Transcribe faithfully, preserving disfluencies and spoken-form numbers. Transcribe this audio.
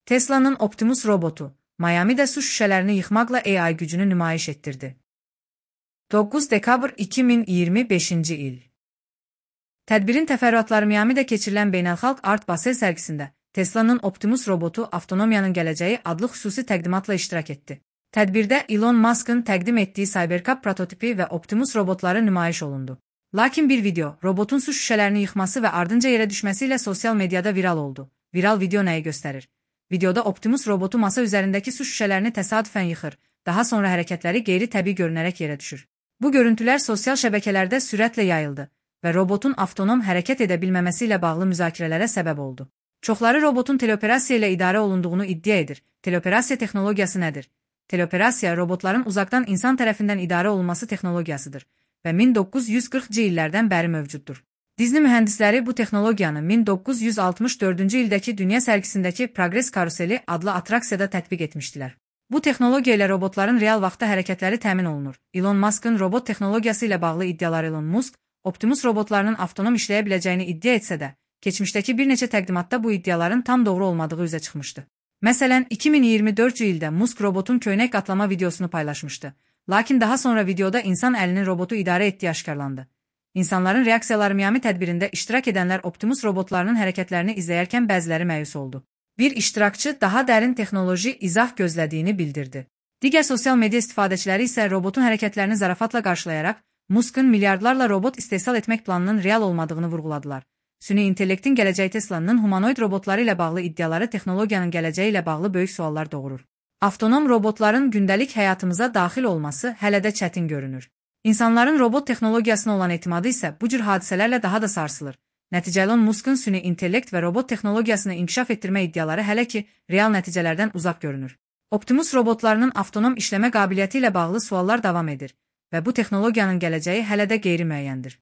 Tesla'nın Optimus robotu, Miami'de su şişələrini yıxmaqla A I gücünü nümayiş etdirdi. doqquz dekabr iki min iyirmi beşinci il. Tədbirin təfərrüatları Miami'də keçirilən Beynəlxalq Art Basel sərgisində Tesla'nın Optimus robotu avtonomiyanın gələcəyi adlı xüsusi təqdimatla iştirak etdi. Tədbirdə Elon Musk'ın təqdim etdiyi Cybercab prototipi və Optimus robotları nümayiş olundu. Lakin bir video, robotun su şüşələrini yıxması və ardınca yerə düşməsi ilə sosial mediada viral oldu. Viral video nəyi göstərir? Videoda Optimus robotu masa üzərindəki su şüşələrini təsadüfən yıxır, daha sonra hərəkətləri qeyri-təbii görünərək yerə düşür. Bu görüntülər sosial şəbəkələrdə sürətlə yayıldı və robotun avtonom hərəkət edə bilməməsi ilə bağlı müzakirələrə səbəb oldu. Çoxları robotun teleoperasiya ilə idarə olunduğunu iddia edir. Teleoperasiya texnologiyası nədir? Teleoperasiya robotların uzaqdan insan tərəfindən idarə olunması texnologiyasıdır və min doqquz yüz qırxıncı illərdən bəri mövcuddur. Disney mühəndisləri bu texnologiyanı min doqquz yüz altmış dördüncü ildəki dünya sərgisindəki Progress Karuseli adlı atraksiyada tətbiq etmişdilər. Bu texnologiya ilə robotların real vaxtda hərəkətləri təmin olunur. Elon Musk'ın robot texnologiyası ilə bağlı iddiaları Elon Musk, Optimus robotlarının avtonom işləyə biləcəyini iddia etsə də, keçmişdəki bir neçə təqdimatda bu iddiaların tam doğru olmadığı üzə çıxmışdı. Məsələn, iki min iyirmi dördüncü ildə Musk robotun köynək qatlama videosunu paylaşmışdı. Lakin daha sonra videoda insan əlinin robotu idarə etdiyi aşkarlandı. İnsanların reaksiyaları Miami tədbirində iştirak edənlər Optimus robotlarının hərəkətlərini izləyərkən bəziləri məyus oldu. Bir iştirakçı daha dərin texnoloji izah gözlədiyini bildirdi. Digər sosial media istifadəçiləri isə robotun hərəkətlərini zarafatla qarşılayaraq, Musk'ın milyardlarla robot istehsal etmək planının real olmadığını vurğuladılar. Süni intellektin gələcəyi Tesla'nın humanoid robotları ilə bağlı iddiaları texnologiyanın gələcəyi ilə bağlı böyük suallar doğurur. Avtonom robotların gündəlik həyatımıza daxil olması hələ də çətin görünür. İnsanların robot texnologiyasına olan etimadı isə bu cür hadisələrlə daha da sarsılır. Nəticə Elon Musk'ın süni intellekt və robot texnologiyasını inkişaf etdirmə iddiaları hələ ki, real nəticələrdən uzaq görünür. Optimus robotlarının avtonom işləmə qabiliyyəti ilə bağlı suallar davam edir və bu texnologiyanın gələcəyi hələ də qeyri-müəyyəndir.